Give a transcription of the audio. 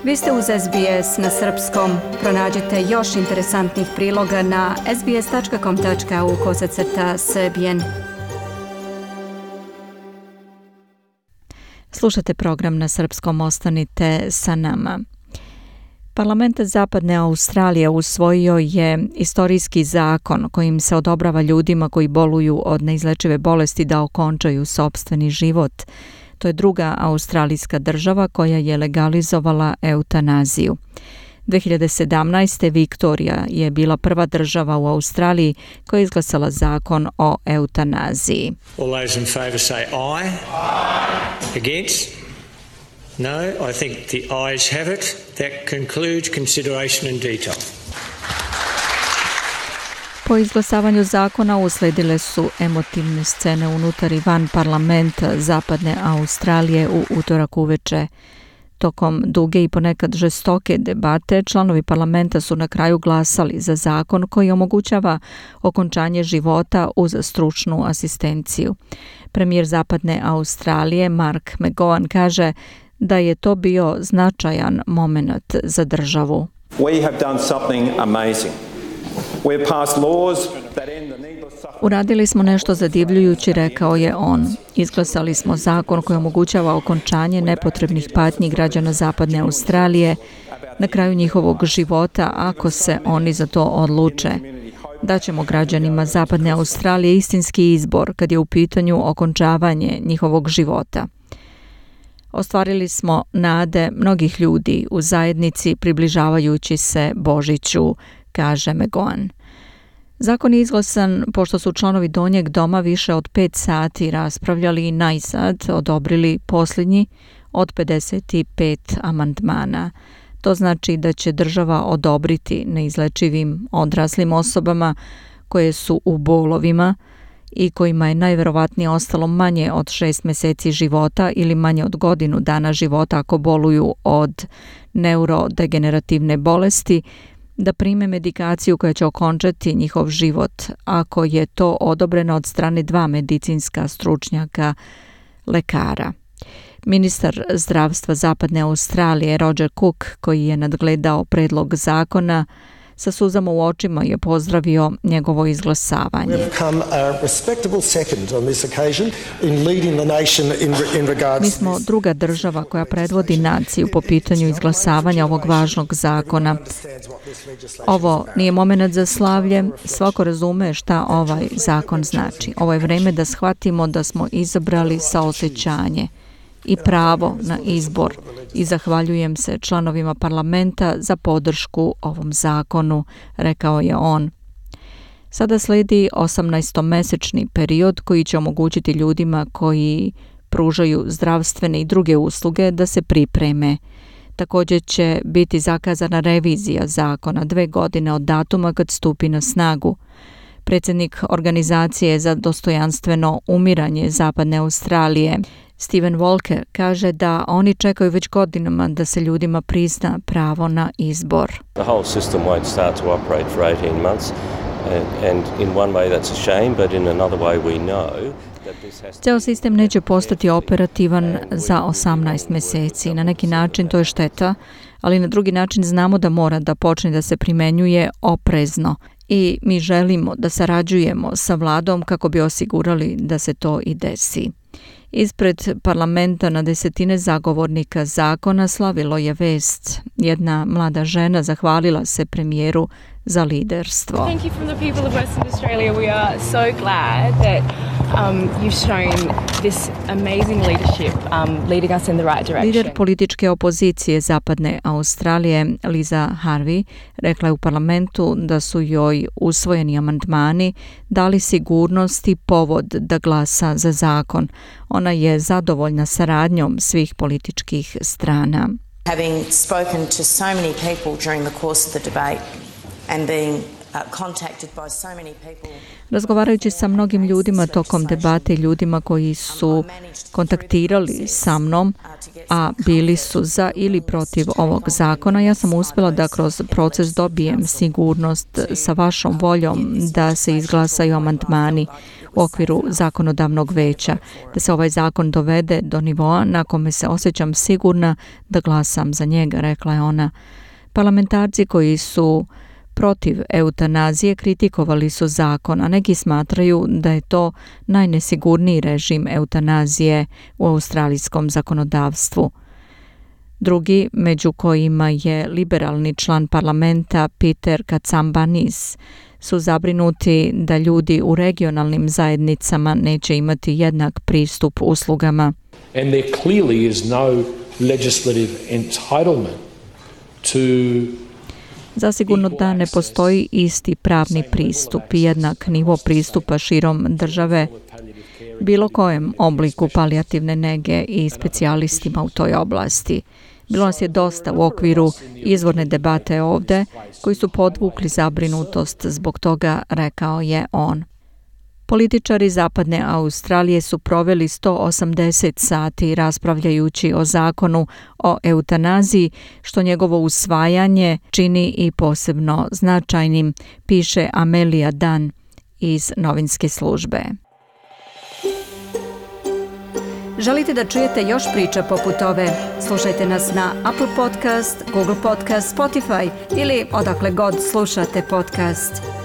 Vi ste uz SBS na srpskom. Pronađite još interesantnih priloga na sbs.com.au/srbijen. Slušate program na srpskom, ostanite sa nama. Parlament Zapadne Australije usvojio je istorijski zakon kojim se odobrava ljudima koji boluju od neizlečive bolesti da okončaju sopstveni život. To je druga australijska država koja je legalizovala eutanaziju. 2017. Viktorija je bila prva država u Australiji koja je izglasala zakon o eutanaziji. All those in favour say aye. Against? No, I think the ayes have it. That concludes consideration in detail. Po izglasavanju zakona usledile su emotivne scene unutar i van parlamenta Zapadne Australije u utorak uveče. Tokom duge i ponekad žestoke debate, članovi parlamenta su na kraju glasali za zakon koji omogućava okončanje života uz stručnu asistenciju. Premijer Zapadne Australije Mark McGowan kaže da je to bio značajan moment za državu. We have done something amazing. We have passed laws that end the needless suffering. Uradili smo nešto zadivljujuće, rekao je on. Izglasali smo zakon koji omogućava okončanje nepotrebnih patnji građana Zapadne Australije na kraju njihovog života ako se oni za to odluče. Daćemo građanima Zapadne Australije istinski izbor kad je u pitanju okončavanje njihovog života. Ostvarili smo nade mnogih ljudi u zajednici približavajući se Božiću, kaže McGowan. Zakon je izglasan pošto su članovi Donjeg doma više od 5 sati raspravljali i najzad odobrili posljednji od 55 amandmana. To znači da će država odobriti neizlečivim odraslim osobama koje su u bolovima i kojima je najverovatnije ostalo manje od 6 mjeseci života ili manje od godinu dana života ako boluju od neurodegenerativne bolesti, da prime medikaciju koja će okončati njihov život ako je to odobreno od strane 2 medicinska stručnjaka lekara. Ministar zdravstva Zapadne Australije Roger Cook, koji je nadgledao predlog zakona, sa suzama u očima je pozdravio njegovo izglasavanje. Mi smo druga država koja predvodi naciju po pitanju izglasavanja ovog važnog zakona. Ovo nije moment za slavlje, svako razume šta ovaj zakon znači. Ovo je vreme da shvatimo da smo izabrali saosećanje i pravo na izbor i zahvaljujem se članovima parlamenta za podršku ovom zakonu, rekao je on. Sada slijedi 18-mesečni period koji će omogućiti ljudima koji pružaju zdravstvene i druge usluge da se pripreme. Također će biti zakazana revizija zakona 2 godine od datuma kad stupi na snagu. Predsjednik Organizacije za dostojanstveno umiranje Zapadne Australije Steven Walker kaže da oni čekaju već godinama da se ljudima prizna pravo na izbor. The whole system won't start to operate for 18 months and in one way that's a shame, but in another way we know. Ceo sistem neće postati operativan za 18 mjeseci. Na neki način to je šteta, ali na drugi način znamo da mora da počne da se primenjuje oprezno i mi želimo da sarađujemo sa vladom kako bi osigurali da se to i desi. Ispred parlamenta na desetine zagovornika zakona slavilo je vest. Jedna mlada žena zahvalila se premijeru za liderstvo. Thank you from the people of Western Australia. We are so glad that you've shown this amazing leadership, leading us in the right direction. Lider političke opozicije Zapadne Australije, Liza Harvey, rekla je u parlamentu da su joj usvojeni amandmani dali sigurnost i povod da glasa za zakon. Ona je zadovoljna saradnjom svih političkih strana. Having spoken to so many people during the course of the debate and being Razgovarajući sa mnogim ljudima tokom debate i ljudima koji su kontaktirali sa mnom, a bili su za ili protiv ovog zakona, ja sam uspjela da kroz proces dobijem sigurnost sa vašom voljom da se izglasaju amandmani u okviru zakonodavnog veća, da se ovaj zakon dovede do nivoa na kome se osjećam sigurna da glasam za njega, rekla je ona. Parlamentarci koji su protiv eutanazije kritikovali su zakon, a neki smatraju da je to najnesigurniji režim eutanazije u australijskom zakonodavstvu. Drugi, među kojima je liberalni član parlamenta Peter Katsambanis, su zabrinuti da ljudi u regionalnim zajednicama neće imati jednak pristup uslugama. And there clearly is no legislative entitlement to Zasigurno da ne postoji isti pravni pristup i jednak nivo pristupa širom države bilo kojem obliku palijativne nege i specijalistima u toj oblasti. Bilo nas je dosta u okviru izvorne debate ovde koji su podvukli zabrinutost zbog toga, rekao je on. Političari Zapadne Australije su proveli 180 sati raspravljajući o zakonu o eutanaziji, što njegovo usvajanje čini i posebno značajnim, piše Amelia Dunn iz novinske službe. Želite da čujete još priča poput ove? Slušajte nas na Apple Podcast, Google Podcast, Spotify ili odakle god slušate podcast.